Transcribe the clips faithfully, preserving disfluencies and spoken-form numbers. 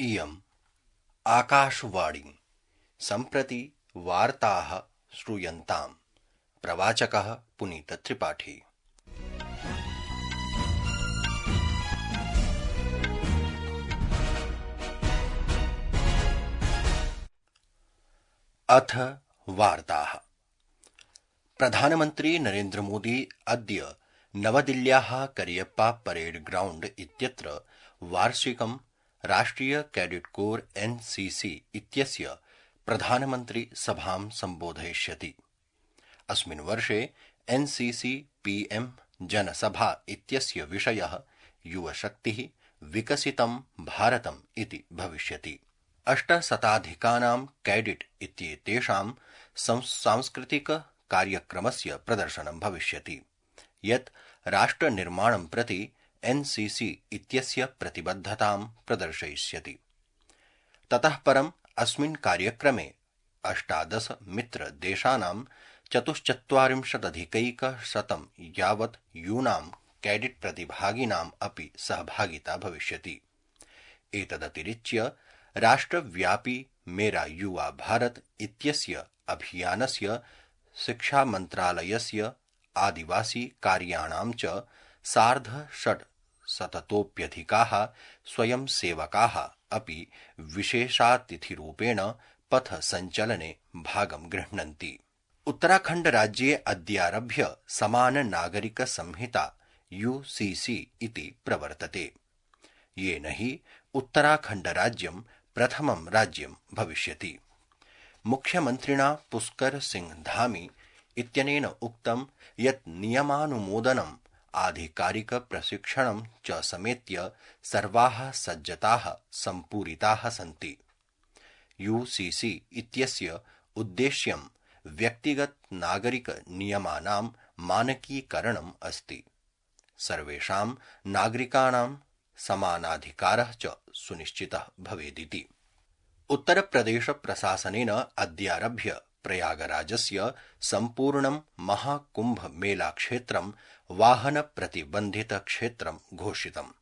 इयम् आकाशवाणी सम्प्रति वार्ताः श्रूयन्ताम्। प्रवाचकः पुनीतत्रिपाठी। अथ वार्ताः। प्रधानमन्त्री नरेन्द्र मोदी अद्य नवदिल्ल्याः करियप्पा परेड ग्राउण्ड इत्यत्र वार्षिकं राष्ट्रिय कैडेट कोर एनसीसी इत्यस्य प्रधानमन्त्री सभां सम्बोधयिष्यति। अस्मिन् वर्षे एनसीसी पीएम जनसभा इत्यस्य विषयः युवशक्तिः विकसितं भारतम् इति भविष्यति। अष्टशताधिकानां कैडेट इत्येतेषां सांस्कृतिक कार्यक्रमस्य प्रदर्शनं भविष्यति, यत् राष्ट्रनिर्माणं प्रति एनसीसी इत्यस्य प्रतिबद्धतां प्रदर्शयिष्यति। ततः परम् अस्मिन् कार्यक्रमे अष्टादश मित्रदेशानां चतुश्चत्वारिंशदधिकैकशतं यावत् यूनां कैडेट प्रतिभागिनाम् अपि सहभागिता भविष्यति। एतदतिरिच्य राष्ट्रव्यापी मेरा युवा भारत इत्यस्य अभियानस्य, शिक्षामन्त्रालयस्य, आदिवासी कार्याणां च सार्धषट्शततोऽप्यधिकाः स्वयंसेवकाः अपि विशेषातिथिरूपेण पथसञ्चलने भागं गृह्णन्ति। उत्तराखण्डराज्ये अद्यारभ्य समान नागरिक संहिता यूसीसी इति प्रवर्तते, येन हि उत्तराखण्डराज्यं प्रथमं राज्यं भविष्यति। मुख्यमन्त्रिणा पुष्कर सिंह धामी इत्यनेन उक्तं यत् नियमानुमोदनम्, आधिकारिक प्रशिक्षणं च समेत्य सर्वाः सज्जताः सम्पूरिताः सन्ति। यूसीसी इत्यस्य उद्देश्यं व्यक्तिगत नागरिक नियमानां मानकीकरणम् अस्ति। सर्वेषां नागरिकाणां समानाधिकारः च सुनिश्चितः भवेदिति। उत्तरप्रदेश प्रशासनेन अद्यारभ्य प्रयागराजस्य सम्पूर्णं महाकुम्भ मेलाक्षेत्रं वाहनप्रतिबन्धितक्षेत्रं घोषितम्।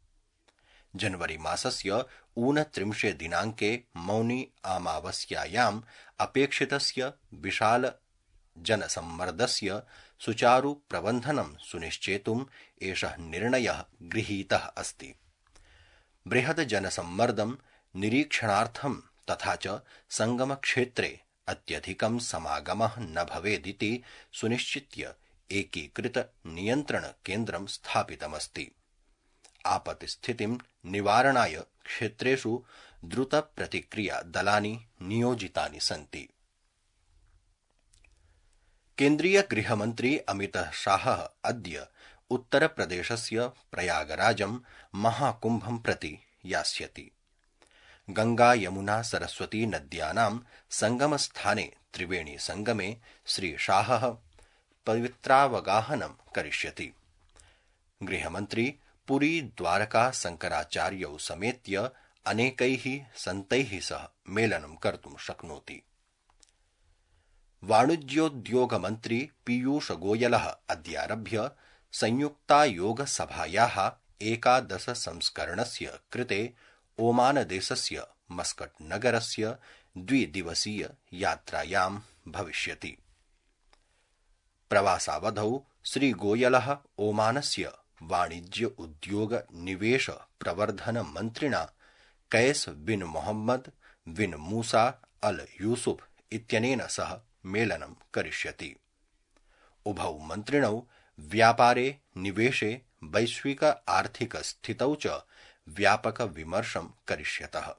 जनवरी मासस्य ऊनत्रिंशे दिनाङ्के मौनी अमावास्यायाम् अपेक्षितस्य विशाल जनसम्मर्दस्य सुचारु प्रबन्धनं सुनिश्चेतुम् एषः निर्णयः गृहीतः अस्ति। बृहद् जनसम्मर्दं निरीक्षणार्थं तथा च संगमक्षेत्रे अत्यधिकं समागमः न भवेदिति सुनिश्चित्य एकीकृत नियन्त्रण केन्द्रं स्थापितमस्ति। आपत्तिस्थितिं निवारणाय क्षेत्रेषु द्रुतप्रतिक्रिया दलानि नियोजितानि सन्ति। केन्द्रीय गृहमन्त्री अमितः शाहः अद्य उत्तरप्रदेशस्य प्रयागराजं महाकुम्भं प्रति यास्यति। गंगा यमुना सरस्वती नद्यानां संगमस्थाने त्रिवेणी संगमे श्रीशाहः पवित्रावगाहनं करिष्यति। गृहमन्त्री पुरी द्वारका शंकराचार्यौ समेत्य अनेकैः सन्तैः सह मेलनं कर्तुं शक्नोति। वाणिज्योद्योगमन्त्री पीयूष गोयलः अद्यारभ्य संयुक्तायोगसभायाः एकादश संस्करणस्य कृते ओमानदेशस्य मस्कट नगरस्य द्विदिवसीय यात्रायां भविष्यति। प्रवासावधौ श्रीगोयलः ओमानस्य वाणिज्य उद्योग निवेश प्रवर्धन मन्त्रिणा कैस बिन मोहम्मद बिन मूसा अल यूसुफ इत्यनेन सह मेलनं करिष्यति। उभौ मन्त्रिणौ व्यापारे, निवेशे, वैश्विक आर्थिक स्थितौ च व्यापक विमर्शं करिष्यतः।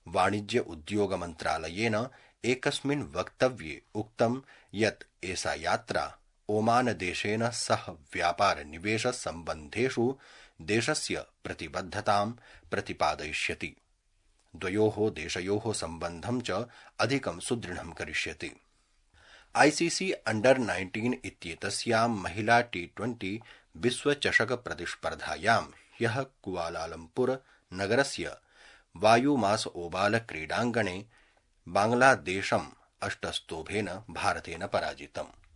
वाणिज्य उद्योग मन्त्रालयेन एकस्मिन् वक्तव्ये उक्तं यत् एषा यात्रा ओमानदेशेन सह व्यापार निवेश सम्बन्धेषु देशस्य प्रतिबद्धतां प्रतिपादयिष्यति। द्वयोः देशयोः सम्बन्धं च अधिकं सुदृढं करिष्यति। आईसीसी अंडर नाइन्टीन इत्येतस्यां महिला टी ट्वेंटी विश्वचषक प्रतिस्पर्धायां ह्यः कुआलालम्पुर नगरस्य वायुमास ओबाल क्रीडाङ्गणे बांग्लादेशम् अष्टस्तोभेन भारतेन पराजितम्।